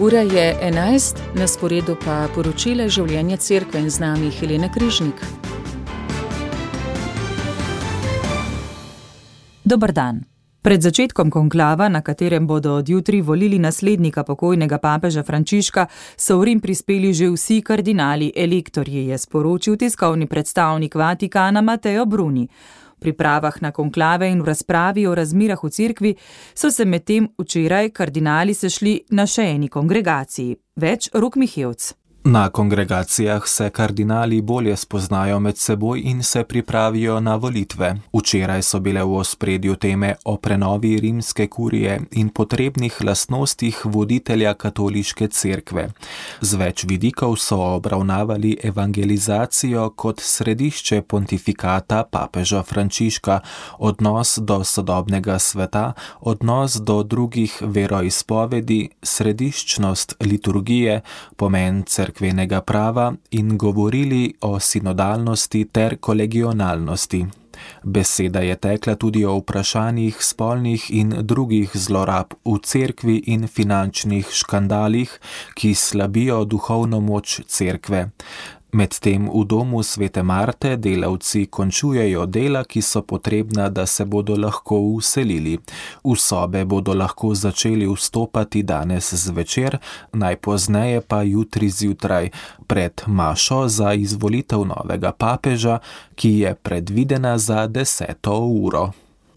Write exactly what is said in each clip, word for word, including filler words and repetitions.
Ura je enajst, na sporedu pa poročila življenja cerkve in z nami Helena Križnik. Dober dan. Pred začetkom konklava, na katerem bodo od jutri volili naslednika pokojnega papeža Frančiška, so v Rim prispeli že vsi kardinali elektorji, je sporočil tiskovni predstavnik Vatikana Matteo Bruni. V pripravah na konklave in v razpravi o razmirah v cerkvi so se medtem včeraj kardinali sešli na še eni kongregaciji. Več Rok Mihevc. Na kongregacijah se kardinali bolje spoznajo med seboj in se pripravijo na volitve. Včeraj so bile v ospredju teme o prenovi rimske kurije in potrebnih lastnostih voditelja katoliške cerkve. Z več vidikov so obravnavali evangelizacijo kot središče pontifikata papeža Frančiška, odnos do sodobnega sveta, odnos do drugih veroizpovedi, središčnost liturgije, pomen cerkve, cerkvenega prava in govorili o sinodalnosti ter kolegionalnosti. Beseda je tekla tudi o vprašanjih spolnih in drugih zlorab v cerkvi in finančnih škandalih, ki slabijo duhovno moč cerkve. Medtem v domu Svete Marte delavci končujejo dela, ki so potrebna, da se bodo lahko vselili. V sobe bodo lahko začeli vstopati danes zvečer, najpozneje pa jutri zjutraj, pred mašo za izvolitev novega papeža, ki je predvidena za deseto uro.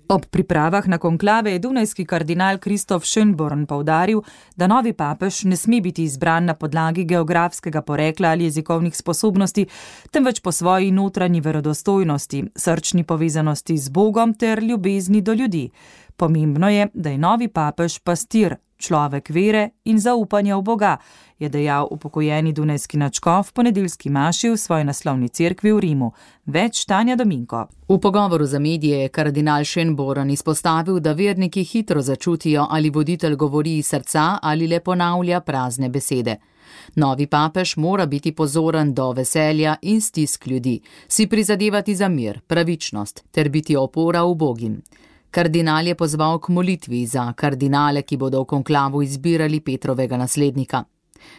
Ob pripravah na konklave je dunajski kardinal Kristof Schönborn poudaril, da novi papež ne sme biti izbran na podlagi geografskega porekla ali jezikovnih sposobnosti, temveč po svoji notranji verodostojnosti, srčni povezanosti z Bogom ter ljubezni do ljudi. Pomembno je, da je novi papež pastir, človek vere in zaupanja v Boga, je dejal upokojeni dunajski nadškof v ponedeljski maši v svoji naslovni cerkvi v Rimu. Več Tanja Dominko. V pogovoru za medije je kardinal Schönborn izpostavil, da verniki hitro začutijo, ali voditelj govori iz srca ali le ponavlja prazne besede. Novi papež mora biti pozoren do veselja in stisk ljudi, si prizadevati za mir, pravičnost ter biti opora ubogim. Kardinal je pozval k molitvi za kardinale, ki bodo v konklavu izbirali Petrovega naslednika.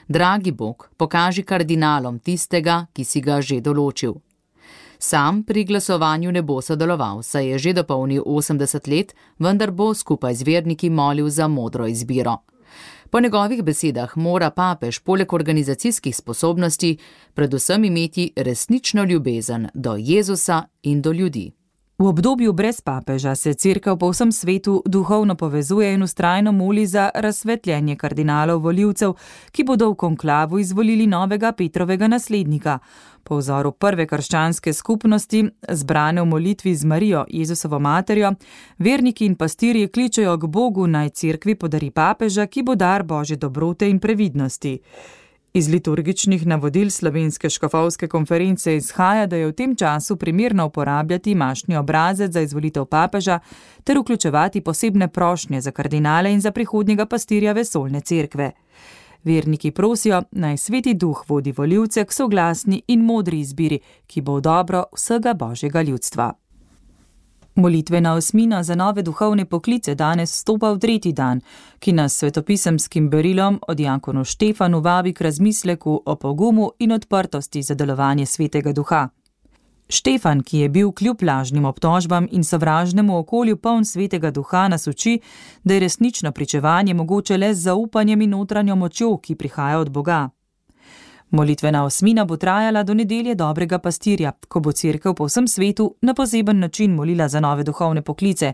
Dragi Bog, pokaži kardinalom tistega, ki si ga že določil. Sam pri glasovanju ne bo sodeloval, saj je že dopolnil osemdeset let, vendar bo skupaj z verniki molil za modro izbiro. Po njegovih besedah mora papež poleg organizacijskih sposobnosti predvsem imeti resnično ljubezen do Jezusa in do ljudi. V obdobju brez papeža se cerkev po vsem svetu duhovno povezuje in vztrajno moli za razsvetljenje kardinalov volivcev, ki bodo v konklavu izvolili novega Petrovega naslednika. Po vzoru prve krščanske skupnosti, zbrane v molitvi z Marijo, Jezusovo materjo, verniki in pastirji kličejo k Bogu, naj cerkvi podari papeža, ki bo dar Božje dobrote in previdnosti. Iz liturgičnih navodil Slovenske škofovske konference izhaja, da je v tem času primerno uporabljati mašni obrazec za izvolitev papeža ter vključevati posebne prošnje za kardinale in za prihodnjega pastirja vesoljne cerkve. Verniki prosijo, naj Sveti Duh vodi volivce k soglasni in modri izbiri, ki bo v dobro vsega Božjega ljudstva. Molitvena osmina za nove duhovne poklice danes vstopa v tretji dan, ki nas svetopisemskim berilom od Jakonu Štefanu vabi k razmisleku o pogumu in odprtosti za delovanje Svetega Duha. Štefan, ki je bil kljub lažnim obtožbam in sovražnemu okolju poln Svetega Duha, nas uči, da je resnično pričevanje mogoče le z zaupanjem in notranjo močjo, ki prihaja od Boga. Molitvena osmina bo trajala do nedelje dobrega pastirja, ko bo cerkev po vsem svetu na poseben način molila za nove duhovne poklice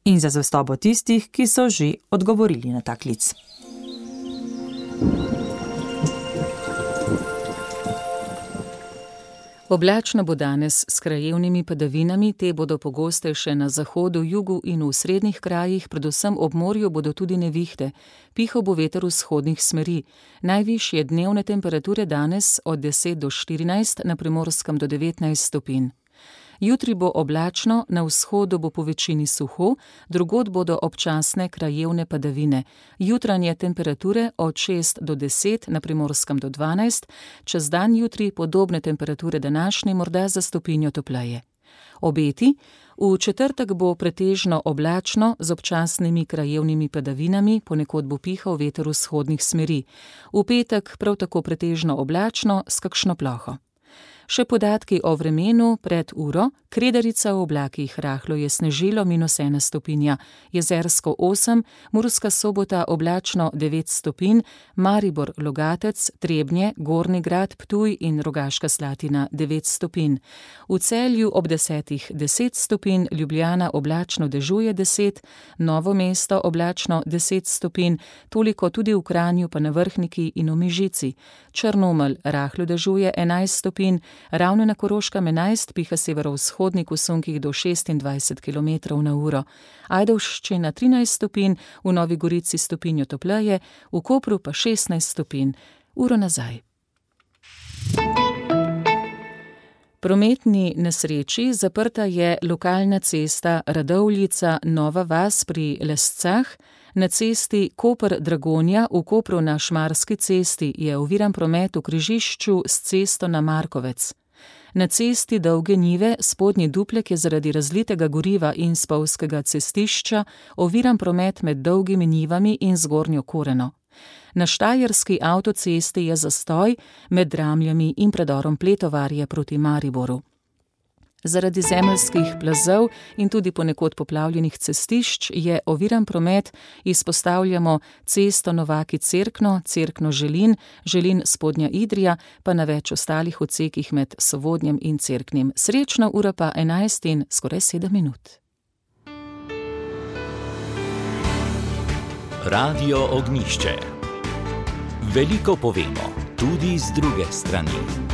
in za zvestobo tistih, ki so že odgovorili na ta klic. Oblačno bo danes s krajevnimi padavinami, te bodo pogostejše na zahodu, jugu in v srednjih krajih, predvsem ob morju bodo tudi nevihte. Pihal bo veter vzhodnih smeri. Najvišje dnevne temperature danes od deset do štirinajst, na Primorskem do devetnajst stopinj. Jutri bo oblačno, na vzhodu bo po večini suho, drugod bodo občasne krajevne padavine. Jutranje temperature od šest do deset, na Primorskem do dvanajst, čez dan jutri podobne temperature današnje, morda za stopinjo topleje. Obeti: v četrtek bo pretežno oblačno z občasnimi krajevnimi padavinami, ponekod bo pihal veter vzhodnih smeri. V petek prav tako pretežno oblačno s kakšno ploho. Še podatki o vremenu pred uro: Kredarica v oblakih, rahlo je snežilo, minus ena stopinja, Jezersko osem, Murska Sobota oblačno devet stopinj, Maribor, Logatec, Trebnje, Gornji Grad, Ptuj in Rogaška Slatina devet stopinj. V Celju ob desetih deset stopinj, Ljubljana oblačno dežuje deset, Novo mesto oblačno deset stopinj, toliko tudi v Kranju pa na Vrhniki in v Mežici. Črnomelj rahlo dežuje enajst stopinj, Ravne na Koroškem enajst, piha severovzhodnik v sunkih do šestindvajset kilometrov na uro. Ajdovščina trinajst stopinj, v Novi Gorici stopinjo topleje, v Kopru pa šestnajst stopinj. Uro nazaj. Prometni nesreči: zaprta je lokalna cesta Radovljica-Nova vas pri Lescah. Na cesti Koper-Dragonja v Kopru na Šmarski cesti je oviran promet v križišču s cesto na Markovec. Na cesti Dolge Njive spodnji Duplek je zaradi razlitega goriva in spolzkega cestišča oviran promet med Dolgimi Njivami in Zgornjo Koreno. Na štajerski avtocesti je zastoj med Dramljami in predorom Pletovarje proti Mariboru. Zaradi zemeljskih plazov in tudi ponekod poplavljenih cestišč je oviran promet, izpostavljamo cesto Novaki-Cerkno, Cerkno-Želin, Želin-Spodnja Idrija, pa na več ostalih odsekih med Sovodnjem in Cerknim. Srečno, ura pa enajst in skoraj sedem minut. Radio Ognjišče. Veliko povemo, tudi z druge strani.